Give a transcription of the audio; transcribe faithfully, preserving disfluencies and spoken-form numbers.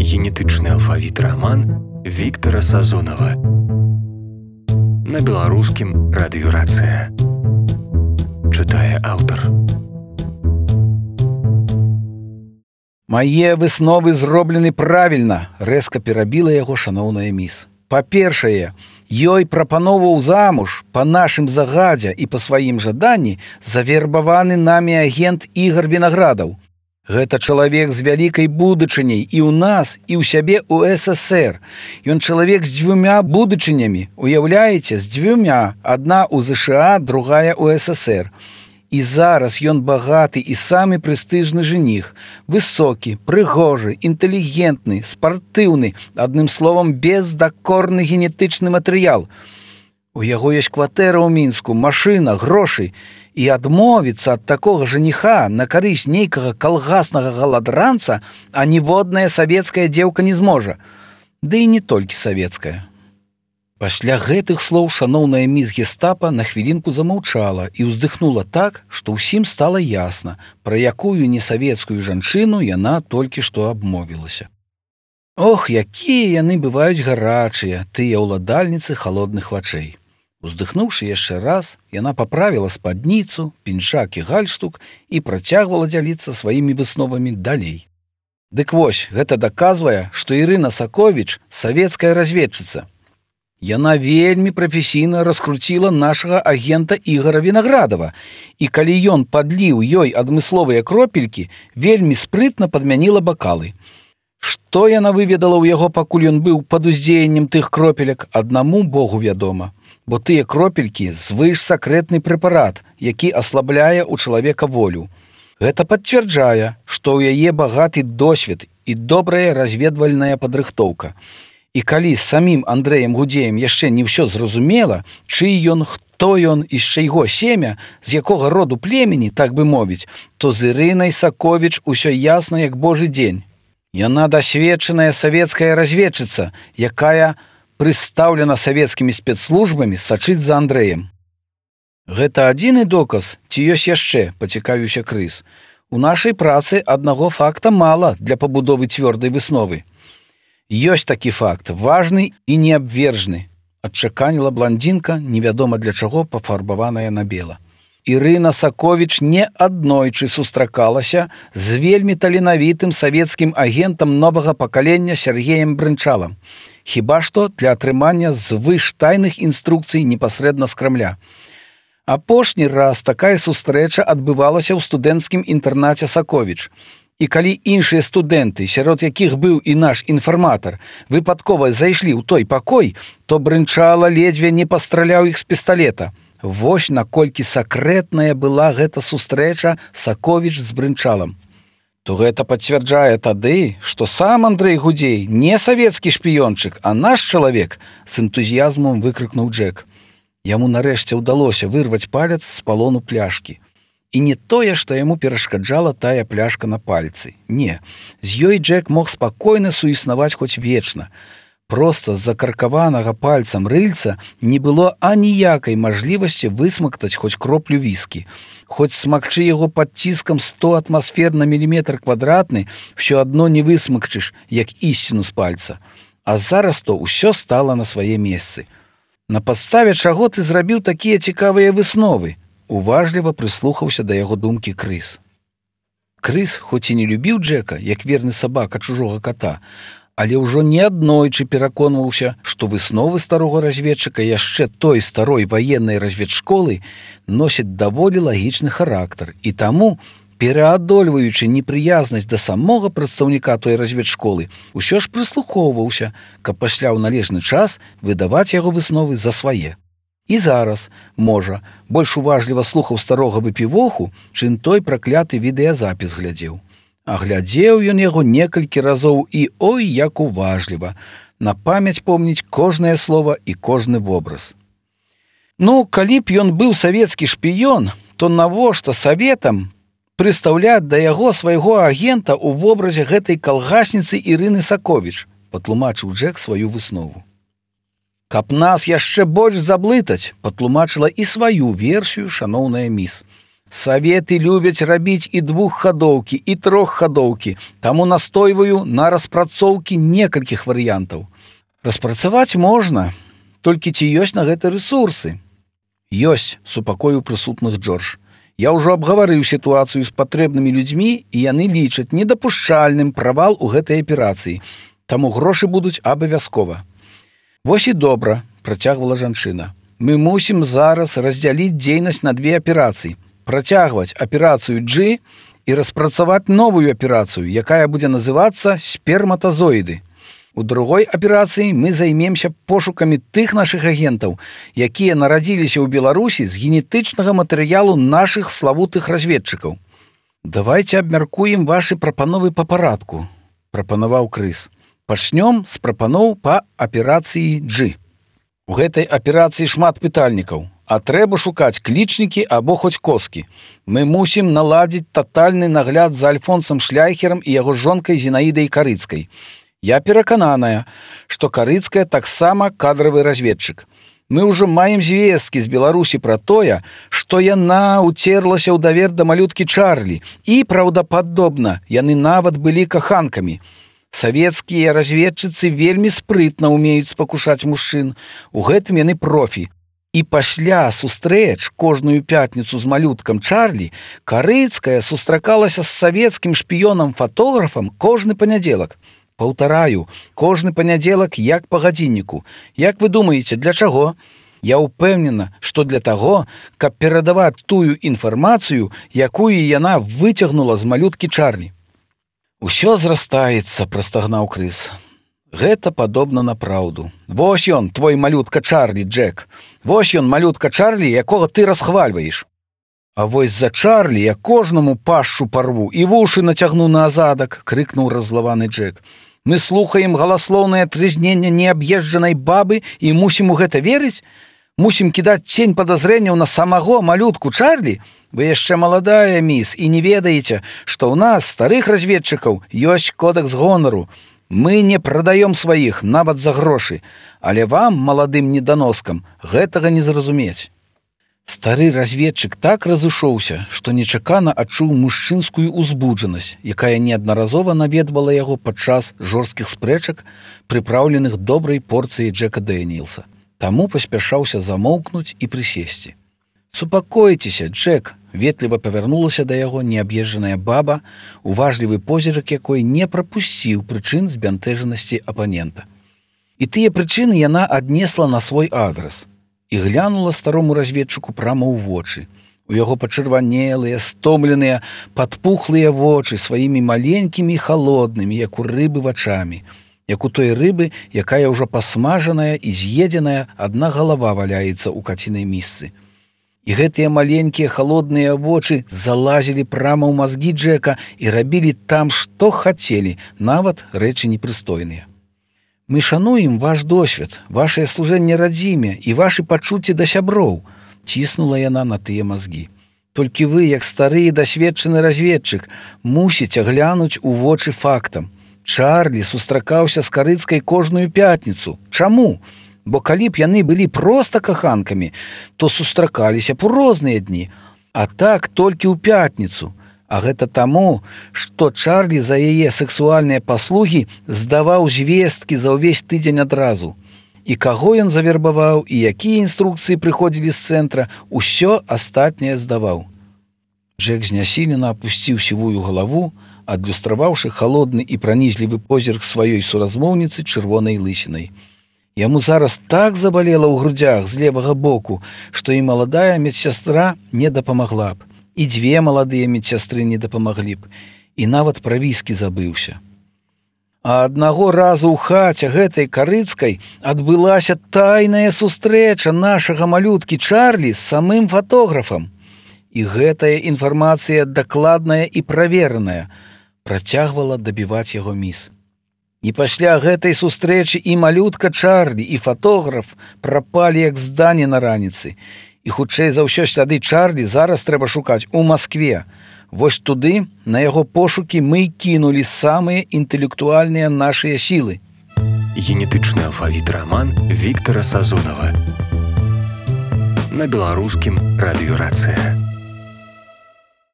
генетычны алфавіт раман Віктара Сазонава. На беларускім радыёрацыя. Чытае аўтар. Мае высновы зроблены правільна, рэзка перабіла яго шаноўная міс. Па-першае, ёй прапановаў замуж па нашым загадзе і па сваім жаданні завербаваны намі агент Ігар Вінаградаў. Гэта чалавек з вялікай будучыняй і ў нас, і ў сябе ў эс эс ер. Ён чалавек з дзвюмя будучынямі, уяўляеце, з дзвюмя, адна ў зэ ша а, другая ў эс эс ер. І зараз ён багаты і самы прэстыжны женіх, высокі, прыгожы, інтэлігентны, спартыўны, адным словам, бездакорны генетычны матэрыял. У яго ёсць кватэра ў Мінску, машына, грошы, і адмовіцца ад такога жаніха на карысць нейкага калгаснага галадранца а ніводная савецкая дзеўка не зможа. Ды і не толькі савецкая. Пасля гэтых слоў шаноўная міс гестапа на хвілінку замаўчала і ўздыхнула так, што ўсім стала ясна, пра якую несавецкую жанчыну яна толькі што абмовілася. Ох, якія яны бываюць гарачыя, тыя ўладальніцы халодных вачэй. Уздыхнуўшы яшчэ раз, яна паправіла спадніцу, пінжак і гальштук і працягвала дзяліцца сваімі высновамі далей. Дык вось, гэта даказвае, што Ірына Саковіч – савецкая разведчыца. Яна вельмі прафесійна раскруціла нашага агента Ігара Вінаградава, і калі ён падліў ёй адмысловыя кропелькі, вельмі спрытна падмяніла бакалы. Што яна выведала ў яго, пакуль ён быў пад уздзеяннем тых кропелек, аднаму Богу вядома. Бо тыя кропелькі звышсакрэтны прэпарат, які аслабляе ў чалавека волю. Гэта пацвярджае, што ў яе багаты досвед і добрая разведвальная падрыхтоўка. І калі з самім Андрэем Гудзеем яшчэ не ўсё зразумела, чый ён, хто ён і з чайго семя, з якога роду племені, так бы мовіць, то з Ірынай Саковіч усё ясна, як божы дзень. Яна дасведчаная савецкая разведчыца, якая прыстаўлена савецкімі спецслужбамі сачыць за Андрэем. Гэта адзіны доказ, ці ёсць яшчэ, пацікавіўся Крыс. У нашай працы аднаго факта мала для пабудовы цвёрдай высновы. Ёсць такі факт, важны і неабвержны, адчаканіла бландзінка, невядома для чаго пафарбаваная на бела. Ірына Саковіч не аднойчы сустракалася з вельмі таленавітым савецкім агентам новага пакалення Сергеем Брынчалам, хіба што для атрымання звыштайных інструкцый непасрэдна з Крамля. Апошні раз такая сустрэча адбывалася ў студэнцкім інтэрнаце Саковіч. І калі іншыя студэнты, сярод якіх быў і наш інфарматар, выпадкова зайшлі ў той пакой, то Брынчала ледзьве не пастраляў іх з пісталета. Вось наколькі сакрэтная была гэта сустрэча Саковіч з Брынчалам. То гэта пацвярджае тады, што сам Андрэй Гудзей не савецкі шпіёнчык, а наш чалавек, з энтузіязмам выкрыкнуў Джек. Яму нарэшце ўдалося вырваць палец з палону пляшкі. І не тое, што яму перашкаджала тая пляшка на пальцы. Не, з ёй Джек мог спакойна суіснаваць хоць вечна. Проста з закаркаванага пальцам рыльца не было аніякай мажлівасці высмактаць хоць кроплю віскі. Хоць смакчы яго пад ціскам сто атмасфер на міліметр квадратны, ўсё адно не высмакчыш, як ісціну з пальца. А зараз то ўсё стала на свае месцы. На падставе чаго ты зрабіў такія цікавыя высновы? Уважліва прыслухаўся да яго думкі Крыс. Крыс, хоць і не любіў Джека, як верны сабака чужога ката, але ўжо неаднойчы пераконваўся, што высновы старога разведчыка яшчэ той старой ваеннай разведшколы носяць даволі лагічны характар, і таму, пераадольваючы непрыязнасць да самога прадстаўніка той разведшколы, усё ж прыслухоўваўся, каб пасля ў належны час выдаваць яго высновы за свае. І зараз, можа, больш уважліва слухаў старога выпівоху, чым той пракляты відэазапіс глядзеў. А глядзеў ён яго некалькі разоў і ой, як уважліва, на памяць помніць кожнае слова і кожны вобраз. Ну, калі б ён быў савецкі шпіён, то навошта саветам прыстаўляць да яго свайго агента ў вобразе гэтай калгасніцы Ірыны Саковіч, патлумачыў Джек сваю выснову. Каб нас яшчэ больш заблытаць, патлумачыла і сваю версію шаноўная міс. Саветы любяць рабіць і двуххадоўкі, і троххадоўкі, таму настойваю на распрацоўкі некалькіх варыянтаў. Распрацаваць можна, толькі ці ёсць на гэта рэсурсы? Ёсць, супакоіў прысутных Джордж. Я ўжо абгаварыў сітуацыю з патрэбнымі людзьмі, і яны лічаць недапушчальным правал у гэтай аперацыі, таму грошы будуць абавязкова. Вось і добра, працягвала жанчына. Мы мусім зараз раздзяліць дзейнасць на две аперацыі. Працягваць аперацыю G і распрацаваць новую аперацыю, якая будзе называцца сперматазоіды. У другой аперацыі мы займемся пошукамі тых нашых агентаў, якія нарадзіліся ў Беларусі з генетычнага матэрыялу нашых славутых разведчыкаў. Давайце абмяркуем вашы прапановы па парадку, прапанаваў Крыс. Пачнём з прапаноў па аперацыі G. У гэтай аперацыі шмат пытальнікаў. А трэба шукаць клічнікі або хоць коскі. Мы мусім наладзіць татальны нагляд за Альфонсам Шляйхерам і яго жонкай Зінаідай Карыцкай. Я перакананая, што Карыцкая таксама кадравы разведчык. Мы ўжо маем звесткі з Беларусі пра тое, што яна уцерлася ў давер да малюткі Чарлі, і, праўдападобна, яны нават былі каханкамі. Савецкія разведчыцы вельмі спрытна ўмеюць спакушаць мужчын. У гэтым яны профі. І пасля сустрэч кожную пятніцу з малюткам Чарлі Карыцкая сустракалася з савецкім шпіёнам-фатографам кожны панядзелак. Паўтараю, кожны панядзелак як па гадзінніку. Як вы думаеце, для чаго? Я ўпэўнена, што для таго, каб перадаваць тую інфармацыю, якую яна выцягнула з малюткі Чарлі. Усё зрастаецца, прастагнаў Крыс. Гэта падобна на праўду. Вось ён, твой малютка Чарлі, Джек. Вось ён, малютка Чарлі, якога ты расхвальваеш. А вось за Чарлі я кожнаму пашчу парву і вушы нацягну на азадак, крыкнуў раззлаваны Джек. Мы слухаем галаслоўнае трызненне неаб'езджанай бабы і мусім у гэта верыць? Мусім кідаць цень падазрэнняў на самаго малютку Чарлі? Вы яшчэ маладая, міс, і не ведаеце, што ў нас, старых разведчыкаў, ёсць кодэкс гонару. Мы не прадаём сваіх, нават за грошы, але вам, маладым неданоскам, гэтага не зразумець. Стары разведчык так разышоўся, што нечакана адчуў мужчынскую узбуджанасць, якая неаднаразова наведвала яго падчас жорсткіх спрэчак, прыпраўленых добрай порцыяй Джека Дэніелса. Таму паспяшаўся замоўкнуць і прысесці. «Супакойцеся, Джек!» ветліва павярнулася да яго неаб'езджаная баба, уважлівы позірак якой не прапусціў прычын збянтэжанасці апанента. І тыя прычыны яна аднесла на свой адрас і глянула старому разведчыку прама ў вочы. У яго пачырванелыя, стомленыя, падпухлыя вочы сваімі маленькімі і халоднымі, як у рыбы вачамі, як у той рыбы, якая ўжо пасмажаная і з'едзеная, адна галава валяецца ў кацінай місцы. І гэтыя маленькія халодныя вочы залазілі прама ў мазгі Джека і рабілі там, што хацелі, нават рэчы непрыстойныя. Мы шануем ваш досвед, вашае служэнне радзіме і вашы пачуцці да сяброў, ціснула яна на тыя мазгі. Толькі вы, як стары і дасведчаны разведчык, мусіце глянуць у вочы фактам. Чарлі сустракаўся з Карыцкай кожную пятніцу. Чаму? Бо калі б яны былі проста каханкамі, то сустракаліся б у розныя дні, а так толькі ў пятніцу. А гэта таму, што Чарлі за яе сексуальныя паслугі здаваў звесткі за ўвесь тыдзень адразу. І каго ён завербаваў, і якія інструкцыі прыходзілі з цэнтра, усё астатняе здаваў. Джек знясілена апусціў сівую галаву, адлюстраваўшы халодны і пранізлівы позірк сваёй суразмоўніцы чырвонай лысінай. Яму зараз так забалела ў грудзях з левага боку, што і маладая медсястра не дапамагла б, і дзве маладыя медсястры не дапамаглі б, і нават пра віскі забыўся. А аднаго разу ў хаце гэтай Карыцкай адбылася тайная сустрэча нашага малюткі Чарлі з самым фатографам. І гэтая інфармацыя дакладная і правераная, працягвала дабіваць яго міс. І пасля гэтай сустрэчы і малютка Чарлі, і фатограф прапалі як здані на раніцы. І хутчэй за ўсё сляды Чарлі зараз трэба шукаць у Маскве. Вось туды, на яго пошукі, мы кінулі самыя інтэлектуальныя нашыя сілы. Генетычны алфавіт раман Віктара Сазонава. На беларускім радыёрацыя.